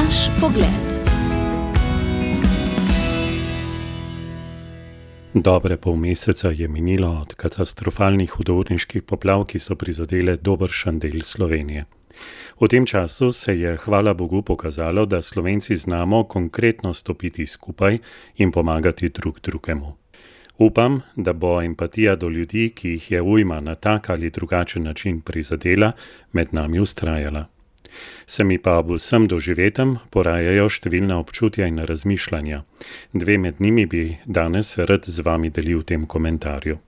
Naš pogled. Dobre pol meseca je minilo od katastrofalnih hudourniških poplav, ki so prizadele dobršen del Slovenije. V tem času se je, hvala Bogu, pokazalo, da Slovenci znamo konkretno stopiti skupaj in pomagati drug drugemu. Upam, da bo empatija do ljudi, ki jih je ujma na tak ali drugačen način prizadela, med nami vztrajala. Se mi pa ob vsem doživetem porajajo številna občutja in razmišljanja. Dve med njimi bi danes rad z vami delil v tem komentarju.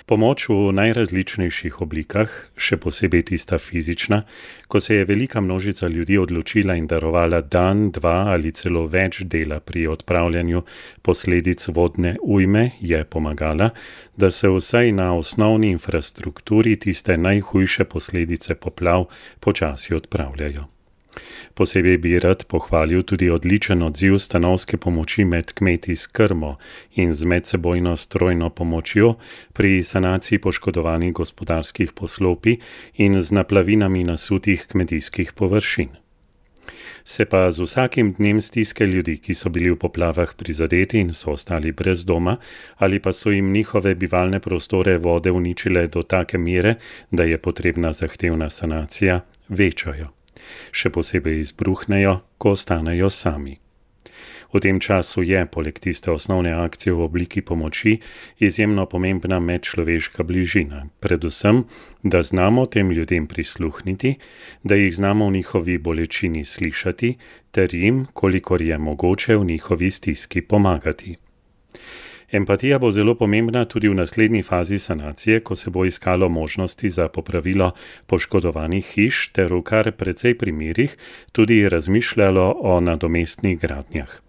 Pomoč v najrazličnejših oblikah, še posebej tista fizična, ko se je velika množica ljudi odločila in darovala dan, dva ali celo več dela pri odpravljanju posledic vodne ujme, je pomagala, da se vsaj na osnovni infrastrukturi tiste najhujše posledice poplav počasi odpravljajo. Posebej bi rad pohvalil tudi odličen odziv stanovske pomoči med kmeti s krmo in z medsebojno strojno pomočjo pri sanaciji poškodovanih gospodarskih poslopij in z naplavinami nasutih kmetijskih površin. Se pa z vsakim dnem stiske ljudi, ki so bili v poplavah prizadeti in so ostali brez doma, ali pa so jim njihove bivalne prostore vode uničile do take mere, da je potrebna zahtevna sanacija, večajo. Še posebej izbruhnejo, ko ostanejo sami. V tem času je, poleg tiste osnovne akcije v obliki pomoči, izjemno pomembna medčloveška bližina. Predvsem, da znamo tem ljudem prisluhniti, da jih znamo v njihovi bolečini slišati, ter jim, kolikor je mogoče, v njihovi stiski pomagati. Empatija bo zelo pomembna tudi v naslednji fazi sanacije, ko se bo iskalo možnosti za popravilo poškodovanih hiš ter v kar precej primerih tudi razmišljalo o nadomestnih gradnjah.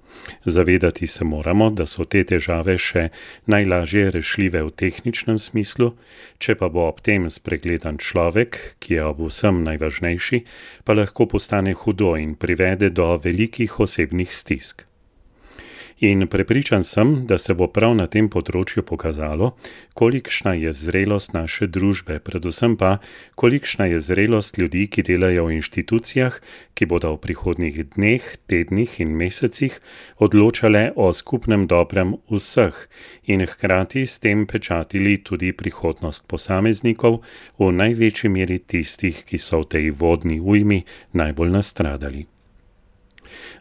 Zavedati se moramo, da so te težave še najlažje rešljive v tehničnem smislu, če pa bo ob tem spregledan človek, ki je ob vsem najvažnejši, pa lahko postane hudo in privede do velikih osebnih stisk. In prepričan sem, da se bo prav na tem področju pokazalo, kolikšna je zrelost naše družbe, predvsem pa, kolikšna je zrelost ljudi, ki delajo v inštitucijah, ki bodo v prihodnjih dneh, tednih in mesecih odločale o skupnem dobrem vseh in hkrati s tem pečatili tudi prihodnost posameznikov, v največji meri tistih, ki so v tej vodni ujmi najbolj nastradali.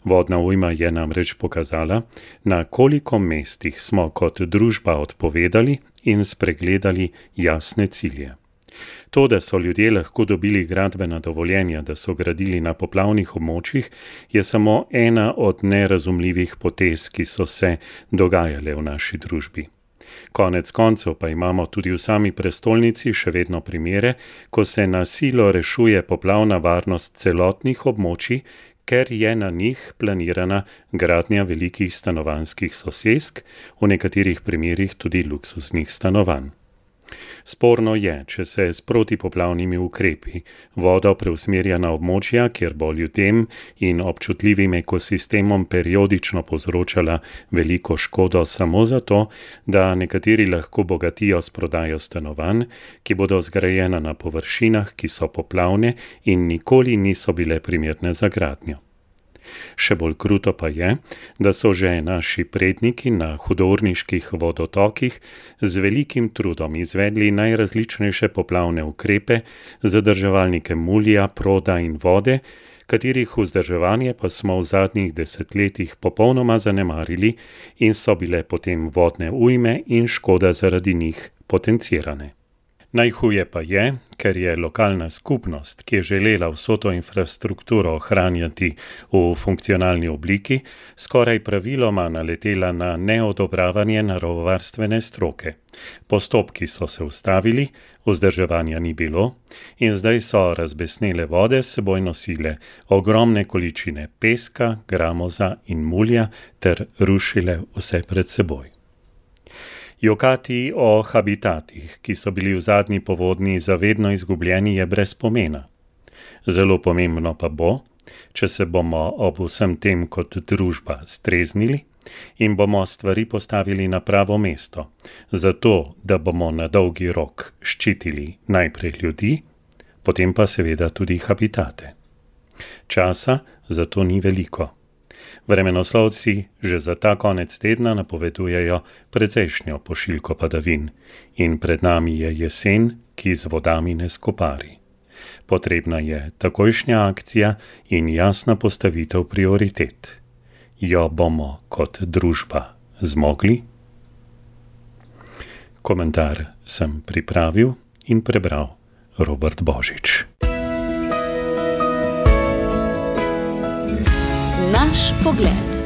Vodna ujma je namreč pokazala, na koliko mestih smo kot družba odpovedali in spregledali jasne cilje. To, da so ljudje lahko dobili gradbena dovoljenja, da so gradili na poplavnih območjih, je samo ena od nerazumljivih potez, ki so se dogajale v naši družbi. Konec koncev pa imamo tudi v sami prestolnici še vedno primere, ko se na silo rešuje poplavna varnost celotnih območij, ker je na njih planirana gradnja velikih stanovanjskih sosesk, v nekaterih primerih tudi luksuznih stanovanj. Sporno je, če se s protipoplavnimi ukrepi voda preusmerja na območja, kjer bo ljudem in občutljivim ekosistemom periodično povzročala veliko škodo samo zato, da nekateri lahko bogatijo s prodajo stanovanj, ki bodo zgrajena na površinah, ki so poplavne in nikoli niso bile primerne za gradnjo. Še bolj kruto pa je, da so že naši predniki na hudourniških vodotokih z velikim trudom izvedli najrazličnejše poplavne ukrepe, zadrževalnike mulja, proda in vode, katerih vzdrževanje pa smo v zadnjih desetletjih popolnoma zanemarili in so bile potem vodne ujme in škoda zaradi njih potencirane. Najhuje pa je, ker je lokalna skupnost, ki je želela vso to infrastrukturo ohranjati v funkcionalni obliki, skoraj praviloma naletela na neodobravanje naravovarstvene stroke. Postopki so se ustavili, vzdrževanja ni bilo in zdaj so razbesnele vode s seboj nosile ogromne količine peska, gramoza in mulja ter rušile vse pred seboj. Jokati o habitatih, ki so bili v zadnji povodnji zavedno izgubljeni, je brez pomena. Zelo pomembno pa bo, če se bomo ob vsem tem kot družba streznili in bomo stvari postavili na pravo mesto, zato da bomo na dolgi rok ščitili najprej ljudi, potem pa seveda tudi habitate. Časa zato ni veliko. Vremenoslovci že za ta konec tedna napovedujejo precejšnjo pošiljko padavin in pred nami je jesen, ki z vodami ne skopari. Potrebna je takojšnja akcija in jasna postavitev prioritet. Jo bomo kot družba zmogli? Komentar sem pripravil in prebral Robert Božič. Naš pogled.